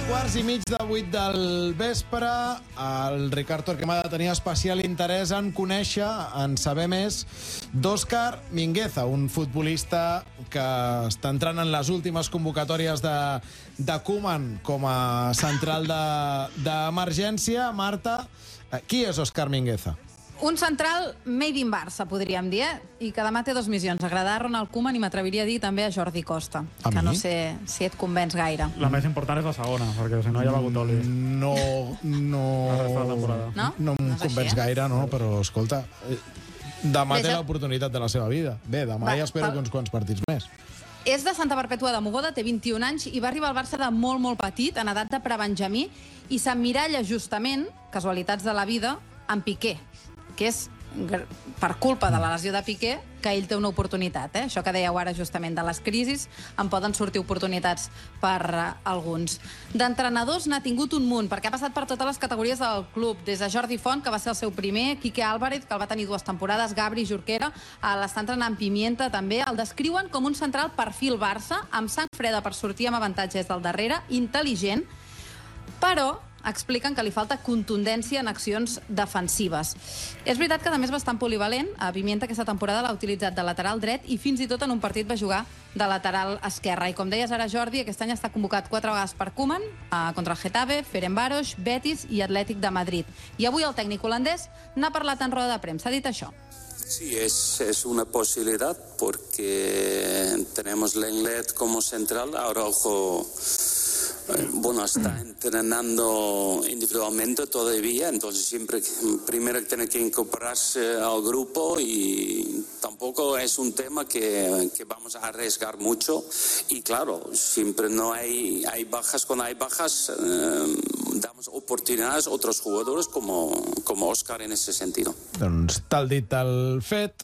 7:15 del vespre. El Ricard Torquemada tenia especial interès en conèixer, en saber més, d'Òscar Mingueza, un futbolista que està entrant en les últimes convocatòries de Koeman com a central d'emergència. Marta, qui és Òscar Mingueza? Un central made in Barça, podríem dir, i que demà té dos missions: agradar a Ronald Koeman i m'atreviria a dir també a Jordi Costa, que no sé si et convenç gaire. La més important és la segona, perquè si no hi ha begut oli. No em convenç gaire, no, però escolta, demà té l'oportunitat de la seva vida. Bé, demà ja espero uns quants partits més. És de Santa Perpètua de Mogoda, té 21 anys i va arribar al Barça de molt, molt petit, en edat de prebenjamí, i s'emmiralla justament, casualitats de la vida, en Piqué, que és per culpa de la lesió de Piqué que ell té una oportunitat. Això que dèieu ara justament de les crisis, en poden sortir oportunitats per alguns. D'entrenadors n'ha tingut un munt, perquè ha passat per totes les categories del club, des de Jordi Font, que va ser el seu primer, Quique Álvarez, que el va tenir 2 temporades, Gabri Jorquera, l'està entrenant Pimienta també. El descriuen com un central perfil Barça, amb sang freda per sortir amb avantatges del darrere, intel·ligent, però expliquen que li falta contundència en accions defensives. És veritat que, a més, bastant polivalent. A Pimienta aquesta temporada l'ha utilitzat de lateral dret i fins i tot en un partit va jugar de lateral esquerre. I com deies ara, Jordi, aquest any està convocat 4 vegades per Koeman, contra el Getafe, Ferencváros, Betis i Atlètic de Madrid. I avui el tècnic holandès n'ha parlat en roda de premsa. Ha dit això. Sí, es una posibilidad porque tenemos Lenglet como central. Araujo está entrenando individualmente todavía, entonces siempre primero tiene que incorporarse al grupo y tampoco es un tema que vamos a arriesgar mucho. Y claro, siempre no hay bajas. Cuando hay bajas, damos oportunidades a otros jugadores como Òscar en ese sentido. Doncs tal dit, tal fet.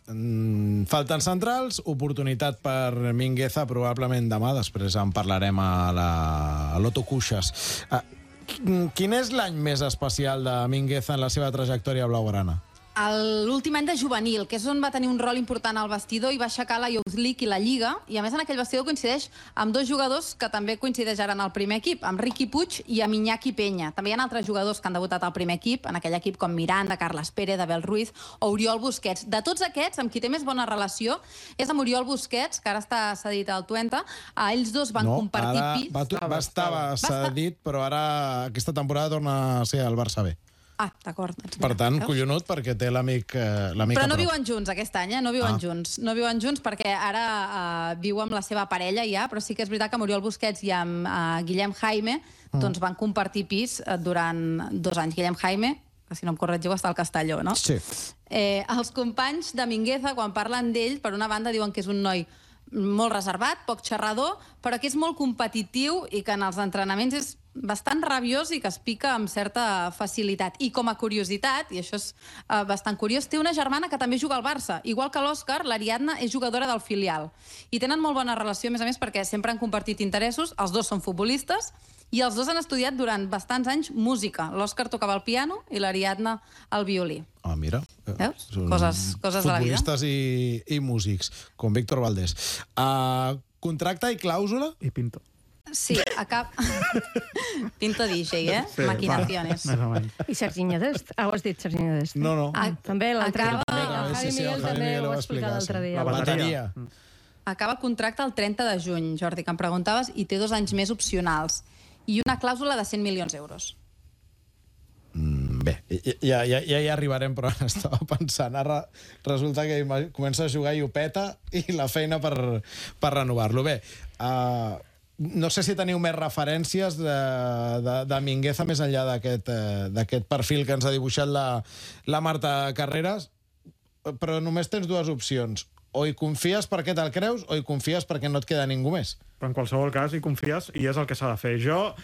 Falten centrals, oportunitat per Mingueza, probablement demà, després en parlarem a l'Otto Cuixas. Quin és l'any més especial de Mingueza en la seva trajectòria blaugrana? L'últim any de juvenil, que és on va tenir un rol important al vestidor i va aixecar la Youth League i la Lliga, i a més en aquell vestidor coincideix amb 2 jugadors que també coincideix ara en el primer equip, amb Riqui Puig i amb Iñaki Peña. També hi ha altres jugadors que han debutat al primer equip, en aquell equip com Miranda, Carles Pérez, Abel Ruiz o Oriol Busquets. De tots aquests, amb qui té més bona relació és amb Oriol Busquets, que ara està cedit al Twente. Ells dos van compartir pis. Estava cedit, però ara aquesta temporada torna a ser al Barça B. D'acord. Per tant, collonut, perquè té l'amic Però no viuen junts aquest any, no viuen junts. No viuen junts perquè ara viu amb la seva parella ja, però sí que és veritat que amb Oriol Busquets i amb Guillem Jaime doncs van compartir pis durant 2 anys. Guillem Jaime, que si no em corregiu, està al Castelló, no? Sí. Els companys de Mingueza, quan parlen d'ell, per una banda diuen que és un noi molt reservat, poc xerrador, però que és molt competitiu i que en els entrenaments és bastant rabiós i que es pica amb certa facilitat. I com a curiositat, i això és bastant curiós, té una germana que també juga al Barça. Igual que l'Òscar, l'Ariadna és jugadora del filial. I tenen molt bona relació, a més, perquè sempre han compartit interessos, els dos són futbolistes, i els dos han estudiat durant bastants anys música. L'Òscar tocava el piano i l'Ariadna el violí. Mira. Veus? Coses de la vida. Futbolistes i músics, com Víctor Valdés. Contracte i clàusula? I Pinto. Sí, Pinto DJ, Sí, Maquinaciones. Més o menys. I Serginho Dest? Has dit Serginho Dest? No. També l'altre. Acaba- El Javi Miguel també ho va explicar l'altre dia. La bateria. Acaba contracte el 30 de juny, Jordi, que em preguntaves, i té 2 anys més opcionals. I una clàusula de 100 milions d'euros. Bé, ja hi arribarem, però estava pensant, ara resulta que comença a jugar i ho peta i la feina per renovar-lo. Bé, no sé si teniu més referències de Mingueza més enllà d'aquest perfil que ens ha dibuixat la Marta Carreras, però només tens 2 opcions. O hi confies perquè te'l creus o hi confies perquè no et queda ningú més. Però en qualsevol cas hi confies i és el que s'ha de fer. Jo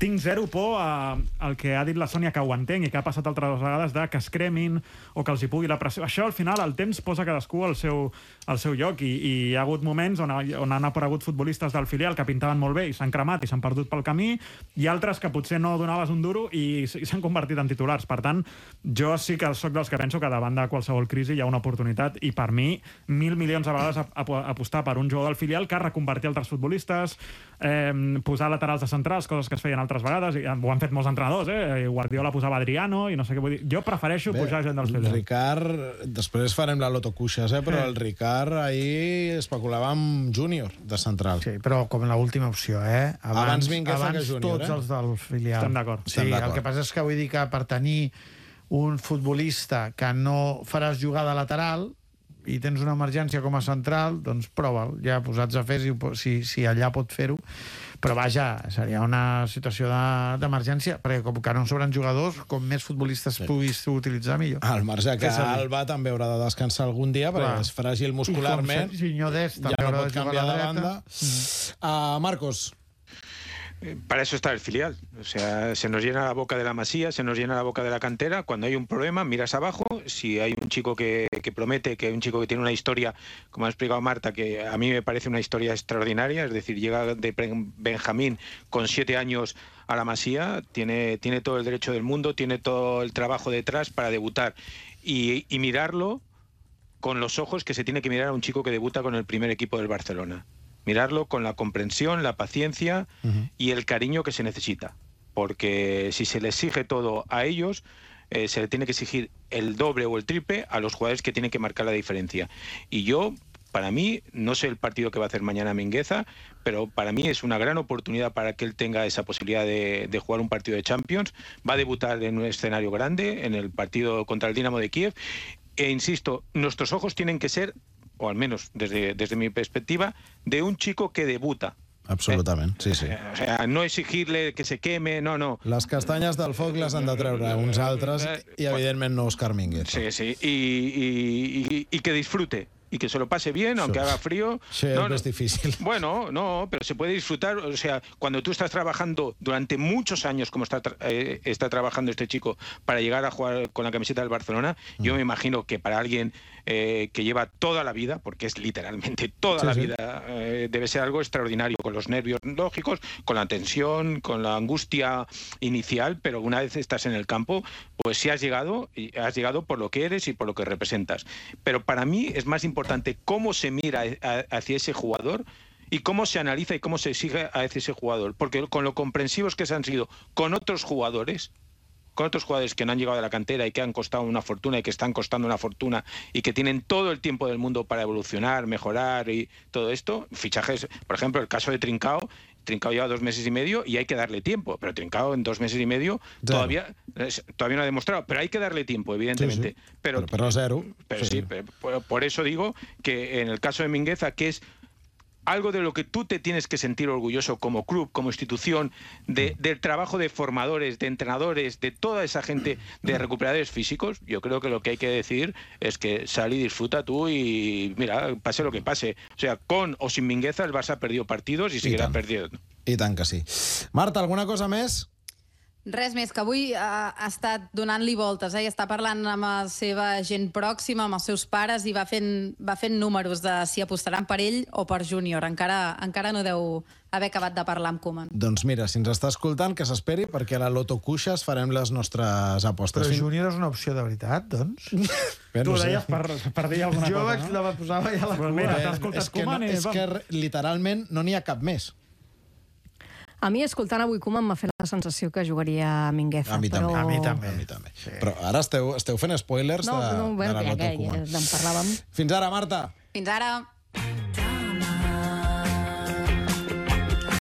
tinc zero por al que ha dit la Sònia, que ho entenc i que ha passat altres vegades, que es cremin o que els hi pugui la pressió. Això, al final, el temps posa cadascú al seu lloc i hi ha hagut moments on han aparegut futbolistes del filial que pintaven molt bé i s'han cremat i s'han perdut pel camí, i altres que potser no donaves un duro i s'han convertit en titulars. Per tant, jo sí que sóc dels que penso que davant de qualsevol crisi hi ha una oportunitat, i per mi 1.000 milions a vegades apostar per un jugador del filial que ha reconvertit altres futbolistes futbolistes, posar laterals de centrals, coses que es feien altres vegades, i ho han fet molts entrenadors, i Guardiola posava Adriano, i no sé què vull dir. Jo prefereixo pujar gent dels filials. Ricard, després farem la Loto Cuixes, però el Ricard ahir especulava amb Júnior de central. Sí, però com l'última opció, Abans Mingueza que Júnior, tots els del filial. Estem d'acord. Sí, el que passa és que vull dir que per tenir un futbolista que no faràs jugar de lateral i tens una emergència com a central, doncs prova'l, ja posats a fer si allà pot fer-ho. Però vaja, seria una situació d'emergència, perquè com que no sobren jugadors, com més futbolistes puguis utilitzar, millor. Al marge que Alba també haurà de descansar algun dia, perquè és fràgil muscularment. I com Serginho Dest també ja no haurà pot de jugar canviar a la de dreta. banda. Marcos. Para eso está el filial. O sea, se nos llena la boca de la Masía, se nos llena la boca de la cantera. Cuando hay un problema, miras abajo. Si hay un chico que promete, que hay un chico que tiene una historia, como ha explicado Marta, que a mí me parece una historia extraordinaria, es decir, llega de Benjamín con 7 años a la Masía, tiene todo el derecho del mundo, tiene todo el trabajo detrás para debutar. Y mirarlo con los ojos que se tiene que mirar a un chico que debuta con el primer equipo del Barcelona. Mirarlo con la comprensión, la paciencia y el cariño que se necesita. Porque si se le exige todo a ellos, se le tiene que exigir el doble o el triple a los jugadores que tienen que marcar la diferencia. Y yo, para mí, no sé el partido que va a hacer mañana Mingueza, pero para mí es una gran oportunidad para que él tenga esa posibilidad de jugar un partido de Champions. Va a debutar en un escenario grande, en el partido contra el Dinamo de Kiev. E insisto, nuestros ojos tienen que ser, o al menos desde mi perspectiva, de un chico que debuta. Absolutament, sí. O sea, no exigirle que se queme, no. Les castanyes del foc les han de treure uns altres i, evidentment, no Òscar Mingueza. Sí, y que disfrute. Y que se lo pase bien, aunque haga frío. Sí, es difícil. Bueno, no, pero se puede disfrutar. O sea, cuando tú estás trabajando durante muchos años, como está trabajando este chico, para llegar a jugar con la camiseta del Barcelona, yo me imagino que para alguien que lleva toda la vida, porque es literalmente toda la vida, debe ser algo extraordinario, con los nervios lógicos, con la tensión, con la angustia inicial, pero una vez estás en el campo, pues si has llegado por lo que eres y por lo que representas. Pero para mí es más importante cómo se mira hacia ese jugador y cómo se analiza y cómo se exige a ese jugador. Porque con lo comprensivos que se han sido con otros jugadores que no han llegado de la cantera y que han costado una fortuna y que están costando una fortuna y que tienen todo el tiempo del mundo para evolucionar, mejorar y todo esto, fichajes, por ejemplo, el caso de Trincao lleva 2 meses y medio y hay que darle tiempo, pero Trincao en 2 meses y medio todavía no ha demostrado, pero hay que darle tiempo, evidentemente. Sí. Pero cero. Pero sí, por eso digo que en el caso de Mingueza, que es algo de lo que tú te tienes que sentir orgulloso como club, como institución, del trabajo de formadores, de entrenadores, de toda esa gente, de recuperadores físicos. Yo creo que lo que hay que decir es que sal y disfruta tú y mira, pase lo que pase. O sea, con o sin Mingueza el Barça ha perdido partidos y seguirà perdiendo. I tant que sí. Marta, alguna cosa més? Res més, que avui ha estat donant-li voltes, i està parlant amb la seva gent pròxima, amb els seus pares, i va fent números de si apostaran per ell o per Júnior. Encara no deu haver acabat de parlar amb Koeman. Doncs mira, si ens està escoltant, que s'esperi, perquè a la Loto Cuixes farem les nostres apostes. Però Júnior és una opció de veritat, doncs? Tu ho deies per dir alguna cosa, no? Jo la posava ja a la cua. Mira, t'ha escoltat Koeman i... És que literalment no n'hi ha cap més. A mi, escoltant avui Koeman, m'ha fet la sensació que jugaria a Mingueza. A mi també. Sí. Però ara esteu fent spoilers de la Loto Koeman. No, en parlàvem. Fins ara, Marta. Fins ara.